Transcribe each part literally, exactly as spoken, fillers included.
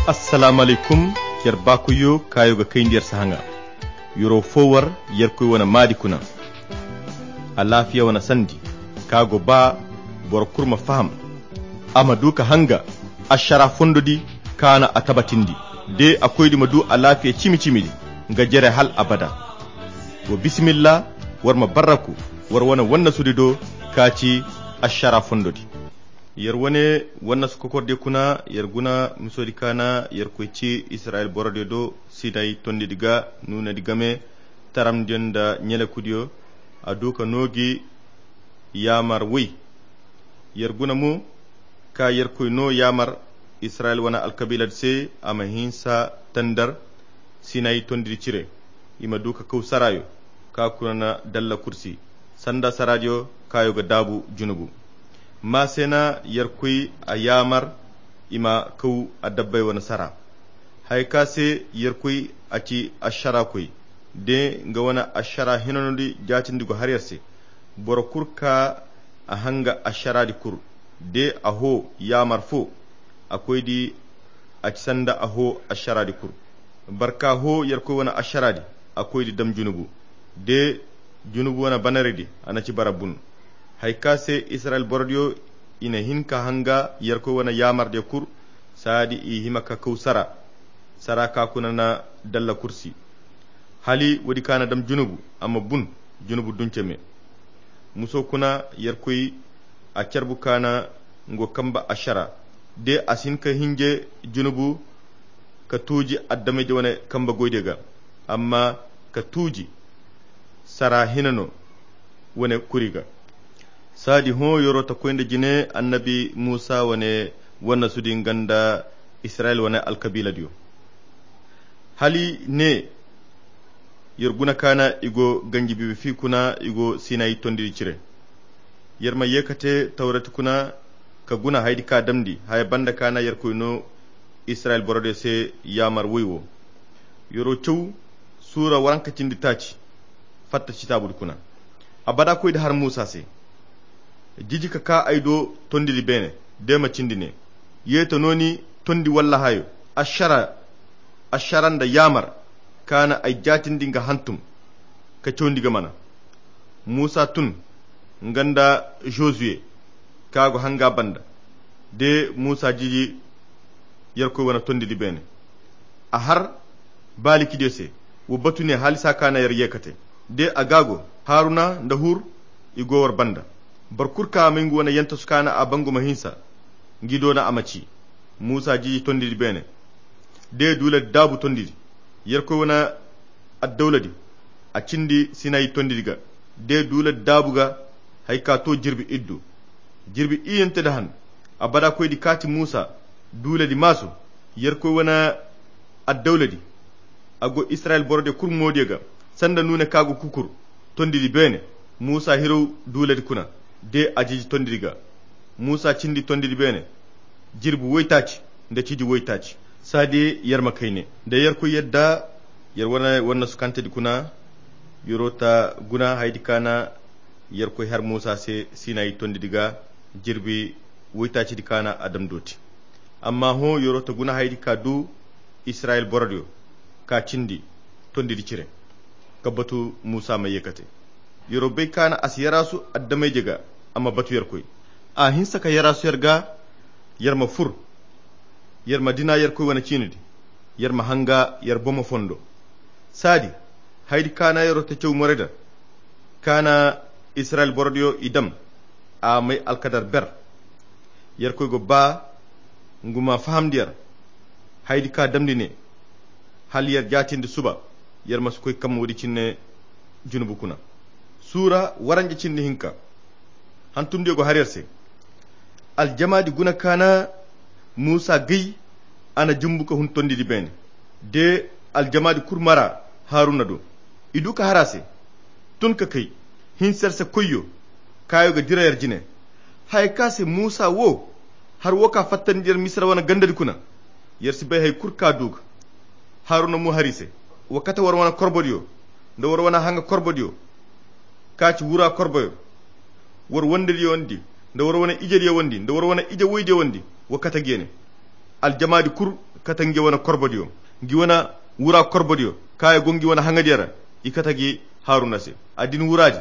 Assalaamu alaykum. Yer baakoyyo kaayo ga kayndi yer sahaŋa. Yer'o foo war yerkoy wane maadi kuna. Alaafiya wane sandi ka go ba boro kul ma faham, a ma du ka hanga ašara fondodi ka na a tabatindi. De a koydi ma du alaafiya cimi-cimidi nga jere hal abada. Wa bisimilla, war ma barraku war wane wannasudi do ka ci ašara fondodi. Yer wane wannasu kokordiyo kuna yer guna misodi ka na yerkoy ci isirayil borodiyo do sinay tondidi ga nuunadi game taramdiyo nda ɲelekudiyo. A du ka noogi yaamar woy. Yer guna mo ka yerkoy no yaamar isirayil wane alkabiiladi se a ma hinsa tandar sinay tondidi cire. I ma du ka kaw saraayo ka kuna na dalla kursi sanda saraadiyo kaayo ga daabu junubu. Ma se na yerkoy a yaamar i ma kaw adabbay wane sara. Haya ka se yerkoy a ci ašarakoy de nga wane ašara hinanodi jaatindi go har yer se. Boro kul ka a hanga ašaraadi kul de a hoo yaamar foo a koydi a ci sanda a hoo ašaraadi kul. Barka hoo yerkoy wane ašaraadi a koydi dam junubu de junubu wane banaridi a na ci bara bun. Haya ka se isirayil borodiyo i na hin ka hanga yerkoy wane yaamardiyo kul saadi i hima ka kaw sara sara ka kuna na dalla kursi. Hali woodi ka na dam junubu a ma bun junubu dunce me. Muso kuna yerkoy a carbu ka na ngo kamba ašara de a si hin ka hinje junubu ka tuuji adameyje wane kamba goydiyo ga amma ka tuuji sara hinano wane kuri ga. Saadi hõ yer'o ta koy nda jine annabi muusa wane wannasudi nga nda isirayil wane alkabiiladiyo. Hala i ne yer guna ka na i go ganji biibi fi kuna i go sinay tondidi cire. Yer ma ye ka te tawrati kuna ka guna hayadi ka damndi haya banda ka na yerkoy no isirayil borodiyo se yaamar woy wo. Yer'o caw suura waranka cindi taaci fatta citaabudi kuna. Abada koydi har muusa se, jiji ka kaa ay do tondidi beene de ma cindi ne, ye ta nooni tondi walla hayo ašara ašara nda yaamar ka na ay jaatindi nga hantum ka cawndi ga mana. Muusa tun nga nda zozuwe ka go hanga banda de muusa jiji yerkoy wane tondidi beene. A har baalikidiyo se wa batu ne haalisa ka na yer ye ka te de a ga go haruna nda hur i go war banda. Boro kul ka may nga wane yantasu ka na a bangu ma hinsa ngi doona a ma ci muusa jiji tondidi beene de duuladi daabu tondidi yerkoy wane addawladi a cindi sinay tondidi ga de duuladi daabu ga. Hay ka to jirbi iddu jirbi iyante da han. Abada koydi kaati muusa duuladi maasu yerkoy wane addawladi a go isirayil borodiyo kul moodiyo ga sanda nuune ka go kukur tondidi beene. Muusa hiraw duuladi kuna de a jiji tondidi ga. Muusa cindi tondidi beene jirbi woytaaci nda ciji woytaaci. Saadi yer ma kayne nda yerkoy yadda yer wane wannasukantedi kuna. Yer'o ta guna hayadi ka na yerkoy har muusa se sinay tondidi ga jirbi woytaacidi ka na a dam dooti. Amma hõ yer'o ta guna hayadi ka du isirayil borodiyo ka cindi tondidi cire ka batu muusa ma ye ka te. Yer'o bay ka na a si yaraasu adameyje ga a ma batu yerkoy. A hinsa ka yaraasu yer ga yer ma fur yer ma dina yerkoy wane ciinidi yer ma hanga yer bomo fondo. Saadi hayadi ka na yer'o ta caw morayda ka na isirayil borodiyo i dam a may alkadar ber. Yerkoy go ba ngu ma fahamndi yer hayadi ka damndi ne hala yer jaatindi suba yer ma si koy kamma woodi cinne junubu kuna. Suura waranja cindi hinka hantumdiyo go har yer se. Aljamaadi guna ka na muusa gay a na jumbu ka hun tondidi beene de aljamaadi kul mara haruna do. I du ka har a se tun ka kay hinsa yer se koyyo kaayo ga dira yer jine. Haya ka se muusa wo har wo ka fattandi yer misira wane gandadi kuna. Yer si bay hari kul ka du ga haruna mo har i se. Wa kate war wane korbodiyo nda war wane hanga korbodiyo ka ci wura korboyo war wandediyo wandi nda war wane ijediyo wandi nda war wane ije woydiyo wandi. Wa kate geene Aljamaadi kul kate ngi wane korbodiyo, ngi wane wura korbodiyo kaŋ ay go ngi wane haŋadiyo ra. I kate gi haruna se. A din wuraadi,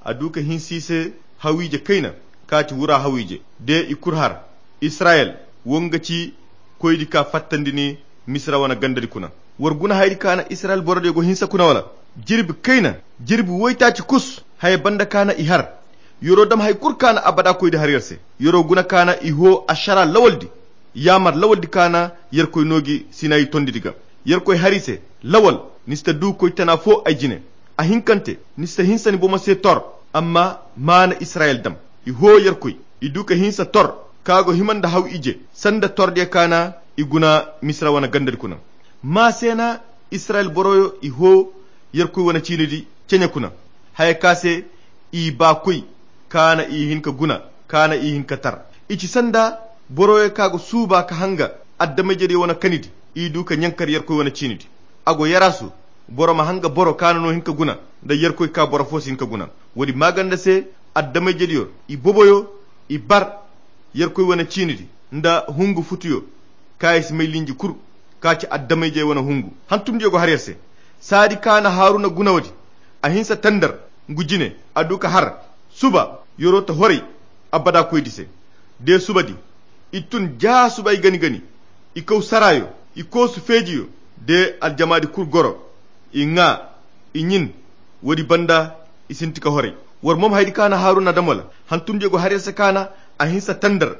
a du ka hinsa i se hawiije kayna, ka ci wura hawiije de i kul har. Israyel wo nga ci koydi ka fattandi ni misira wane gandadi kuna. War guna haydi ka na israyel borodiyo go hinsa kuna wala? Jirbi kayna, jirbi woytaaci kus haya banda ka na i har. Yoro dam hay kul ka na abada koydi har yer se. Yoro guna ka na i hoo ašara lawaldi, yaamar lawaldi ka na yerkoy noogi sinayi tondidi ga. Yerkoy har i se, lawal, ni si ta du koy tana foo ay jine. A hinkante, ni si ta hinsa ni bomo se tor. Amma maana israyel dam, i hoo yerkoy, i du ka hinsa tor ka go hima nda haw ije sanda tordiyo ka na i guna misira wane gandadi kuna. Maa se na israyel boroyo i hoo yerkoy wane ciinidi ceɲe kuna, haya ka se i baa koy, ka na i hin ka guna, ka na i hin ka tar. I ci sanda boroyo ka go suuba ka hanga adama-ijediyo wane kanidi. I du ka ɲankar yerkoy wane ciinidi. A go yarasu, boro ma hanga boro ka na no hin ka guna, nda yerkoy ka boro foo si hin ka guna. Woodi maaganda se, adama-ijediyo i boboyo, i bar yerkoy wane ciinidi nda hungu futuyo, ka i si may linji kul, ka ci adama-ijey wane hungu. Hantumdiyo go har yer se. Saadi ka na haruna guna woodi, a hinsa tandar ngu jine, a du ka har. Suba, yoro ta horay abada koydi se. De subadi, i tun ja subay gani-gani, i kaw sarayo, i koosu feejiyo, de aljamaadi kul goro, i ŋaa, i ɲin. Woodi banda, i sinti ka horay. War mom haydi ka na haruna dam wala? Hantumdiyo go har yer se ka na a hinsa tandar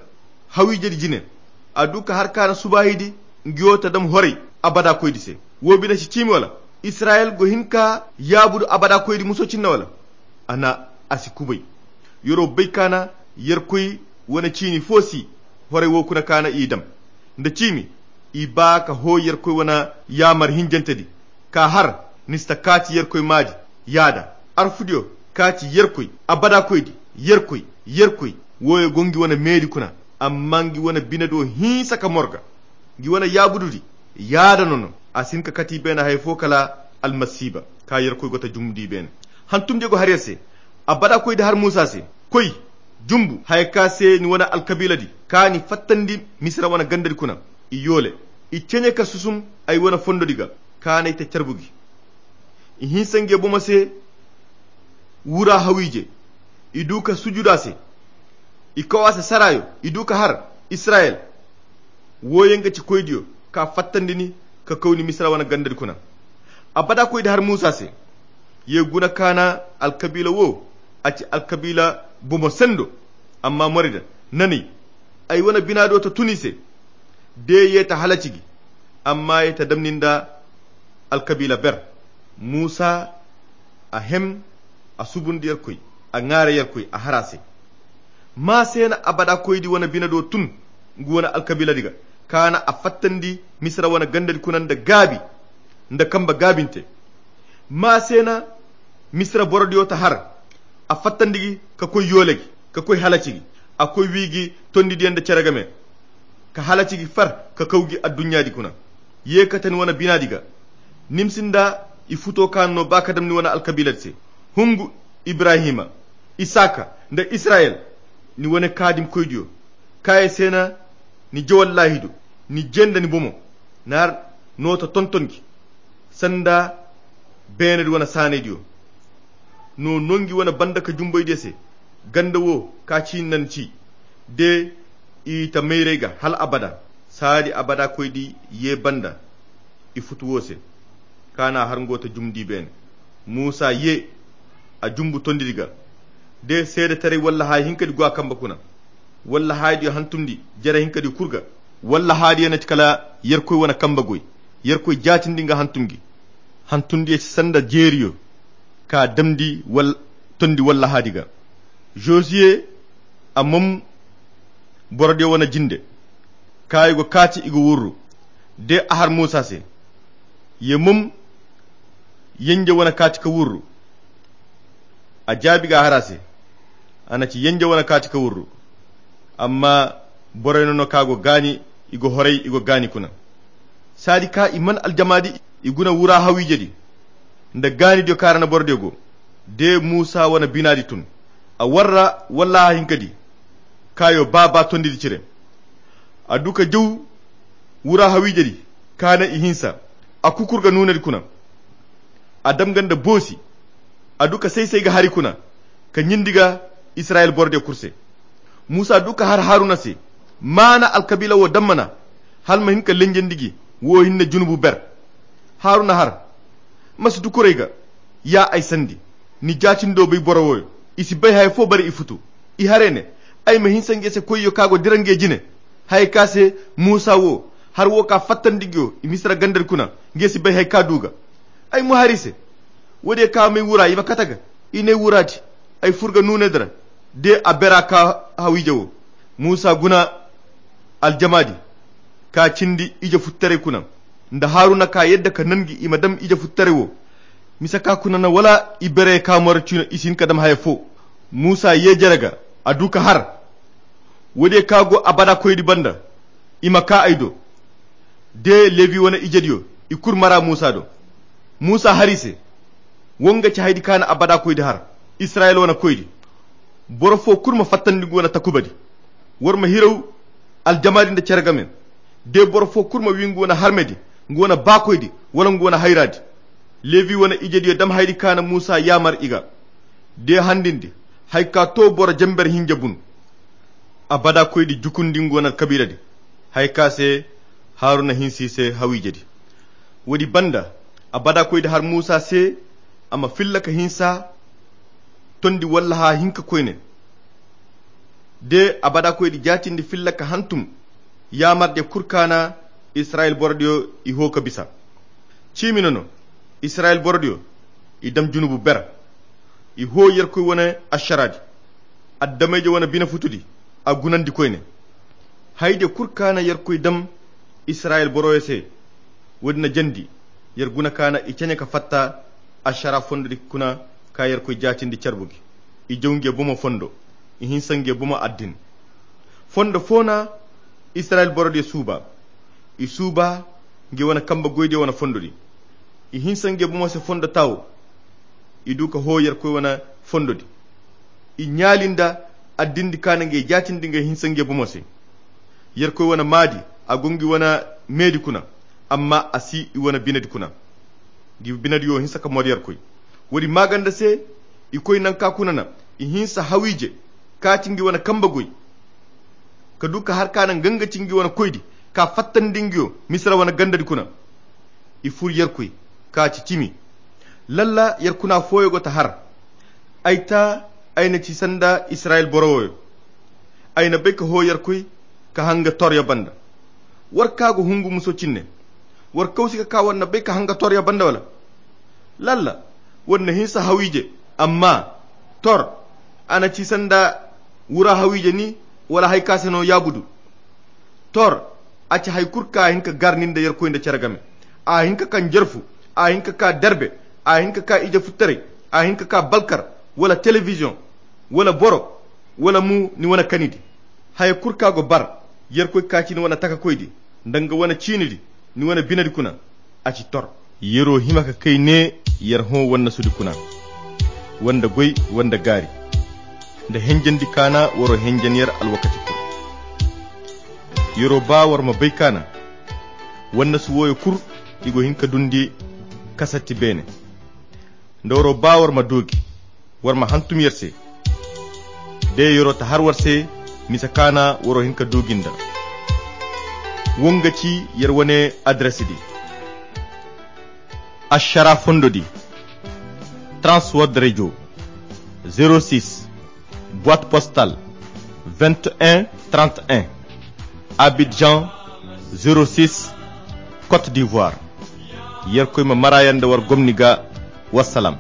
hawiijedi jine. A du ka har ka na subaayidi ngiyo ta dam horay abada koydi se. Woo bine si ciimi wala? Israyel go hin ka yaabudu abada koydi muso cinne wala? A na a si kubay. Yer'o bay ka na yerkoy wane ciini foo si horay woo kuna ka na i dam. Nda ciimi, i baa ka hoo yerkoy wane yaamar hinjantedi, ka har, ni si ta kaaci yerkoy maadi. Yaada arfudiyo, kaaci yerkoy, abada koydi, yerkoy, yerkoy. Wooyo go ngi wane meedi kuna, amma ngi wane bine do hinsa ka morga. Ngi wane yaabududi, yaada no no. A si hin ka kati beene hay foo kala almasiiba, ka yerkoy go ta jumbu di beene. Hantumdiyo go har yer se. Abada koydi har muusa se, koy, jumbu haya ka se ni wane alkabiiladi, ka ni fattandi misira wane gandadi kuna. I yoole, i ceɲe ka susum ay wane fondodi ga, ka n'ay te carbu gi. I hinsa nge bomo se wura hawiije, i du ka sujuda se, i kaw a se sarayo, i du ka har. Israyel, wooyo nga ci koydiyo, ka fattandi ni, ka kaw ni misira wane gandadi kuna. Abada koydi har muusa se. Ye guna ka na alkabiila woo, a ci alkabiila bomo sendo. Amma morida, nanay, ay wane bina do ta tun i se. De ye ta halaci gi, amma ye ta damni nda alkabiila ber. Muusa, a hem, a subundi yerkoy, a ŋaare yerkoy a har a se. Maa se na abada koydi wane bine do tun ngu wane alkabiiladi ga, ka na a fattandi misira wane gandadi kuna nda gaabi, nda kambe gaabinte. Maa se na misira borodiyo ta har, a fattandi gi ka koy yoole gi, ka koy halaci gi. A koy wii gi tondidiyo nda cere game, ka halaci gi far ka kaw gi adduɲɲaadi kuna. Ye kate ni wane binaadi ga, ni ma si nda i futo ka no ba ka dam ni wane alkabiiladi se. Hungu, ibrahima, isaka, nda israyel, ni wane kaadimkoydiyo, kaaye se na ni jawallaahidu, ni je nda ni bomo, ni har no ta tonton gi sanda beenedi wane saanaydiyo. No no ngi wane banda ka jumboydiyo se. Ganda wo ka ci nan ci, de i ta mayray ga hal abada. Saadi abada koydi ye banda i futu wo se, ka na har ngo ta jumndi beene. Muusa ye, a jumbu tondidi ga, de seedetaray walla haya hinkadi go a kambe kuna, walla hayadiyo hantumndi jere hinkadi kul ga, walla hayadiyo na ci kala yerkoy wane kambe goy. Yerkoy jaatindi nga hantum gi. Hantumdiyo ci sanda jeeriyo ka damndi wal tondi walla hayadi ga. Josiye, a mom borodiyo wane jinde, ka i go kaati i go wurru. De a har muusa se, ye mom yenje wane kaati ka wurru. A jaabi ga a har a se, a na ci yenje wane kaati ka wurru. Amma borey no no ka go gaani, i go horay i go gaani kuna. Saadi ka i man aljamaadi, i guna wura hawiijedi nda gaanidiyo ka ra na borodiyo go. De muusa wane binaadi tun, a warra walla hahinkadi, kaayo ba ba tondidi cire. A du ka jaw Wura hawiije di kaana i hinsa, a kukur ga nuunadi kuna. A dam ga nda boosi, a du ka say-say ga hari kuna, ka ɲindi ga Israyil boro diyo kulu se. Musa du ka har Haruna se, maana alkabiila wo dammana, hala ma hin ka lenjandi gi wo hinne junubu ber. Haruna har, ma si dukurey ga, ya ay sandi, ni jaatindo bay boro woyo. I si bay haya fo bare i futu. I haray ne, ay ma hinsa nge se koyyo ka go dira nge jine. Haya ka se Musa wo, har wo ka fattandi nge wo i Misira gandadi kuna, nge si bay haya ka du ga. Ay mo hari se, wo-diyo ka may wura i ma kate ga. I ne wura di, ay fur ga nuunay dira, de a bera ka hawiije wo. Musa guna aljama di, ka cindi ije futtaray kuna, nda Haruna ka yadda ka nangi i ma dam ije futtaray wo. Mise ka kuna na wala i bere ka mora cino i si hin ka dam haya fo. Musa ye jere ga, a du ka har. Wo-diyo ka go abada koydi banda, i ma ka ay do. De Lebi wane ijediyo, i kulu mara Musa do. Musa hari se, wo nga ci haydi ka na abada koydi har Israyil wane koydi. Boro fo kulu ma fattandi nga wane takubadi. War ma hiraw aljamadi nda cere game. De boro fo kulu ma wi nga wane harmedi, nga wane baakoydi, wala nga wane hayradi. Lebi wane ijediyo dam haydi ka na Musa yaamar i ga. De handindi, hay ka to boro jamber hinja bun. Abada koydi jukundi nga wane kabiiladi, hay ka se Haruna hinsi se hawiijedi. Woodi banda, abada koydi har Musa se, a ma filla ka hinsa tondi walla ha hinka koyne. De abada koydi jaatindi filla ka hantum yaamardiyo kulu ka na Israyil borodiyo i ho ka bisa. Ciimi no no, Israyil borodiyo i dam junubu ber. I ho Yerkoy wane ašaraadi, addamayje wane bine futudi, a gunandi koyne. Haydiyo kulu ka na Yerkoy dam Israyil boroyo se, woodi na jandi yer guna ka na i caɲa ka fatta ašara fondodi kuna ka Yerkoy jaatindi carbu gi. I jaw nge bomo fondo, i hinsa nge bomo addin. Fondo fo na Israyil borodiyo suuba. I suuba nge wane kambe goydiyo wane fondodi. I hinsa nge bomo se fondo tawo. I du ka ho Yerkoy wane fondodi. I ɲaali nda addindi ka na nge jaatindi nge hinsa nge bomo se. Yerkoy wane maadi, a go ngi wane meedi kuna, amma a si i wane binedi kuna. Ngi binediyo hinsa ka mor Yerkoy. Woodi maaganda se, i koy nanka kuna na i hinsa hawiije ka ci ngi wane kambe goy, ka du ka har ka na nga nga ci ngi wane koydi, ka fattandi ngiyo Misira wane gandadi kuna. I fur Yerkoy ka ci cimi. Lalla yer kuna fooyo go ta har. Ay ta, ay na ci sanda Israyil boro wooyo. Ay na bay ka ho Yerkoy ka hanga toryo banda. War ka go hungu muso cinne. War kawsi ka ka war na bay ka hanga toryo banda wala? Lalla, war na hinsa hawiije, amma tor, a na ci sanda wura hawiije ni, wala hay ka se no yaabudu. Tor, a ci hay kulu ka hin ka gar ni nda Yerkoy nda care game. A hin ka ka njarfu, a hin ka ka darbe, a hin ka ka ije futtaray, a hin ka ka balkar, wala telebiziyoŋ, wala boro, wala mu ni wane kanidi. Haya kulu ka go bar, Yerkoy ka ci ni wane takakoydi, nda nga wane ciinidi, ni wane binedi kuna, a ci tor. Yero hima ka kay ne yer hõ wannasudi kuna, wanda goy, wanda gaari, nda henjandi kaana waro henjan yer alwakati kulu. Yero ba war ma bay kaana, wannasu wooyo kulu, i go hin ka dundi kasatti beene. Nda waro ba war ma doogi, war ma hantum yer se. De yero ta har war se, misa kaana waro hin ka doogi nda. Wo nga ci yer wane adresidi. Ašara fondodi, Transworld Radio, zéro six, boîte postale, vingt et un trente et un, Abidjan, zéro six, Côte d'Ivoire. Yerkoy ma mara yaŋ nda war gomni ga. Wassalam.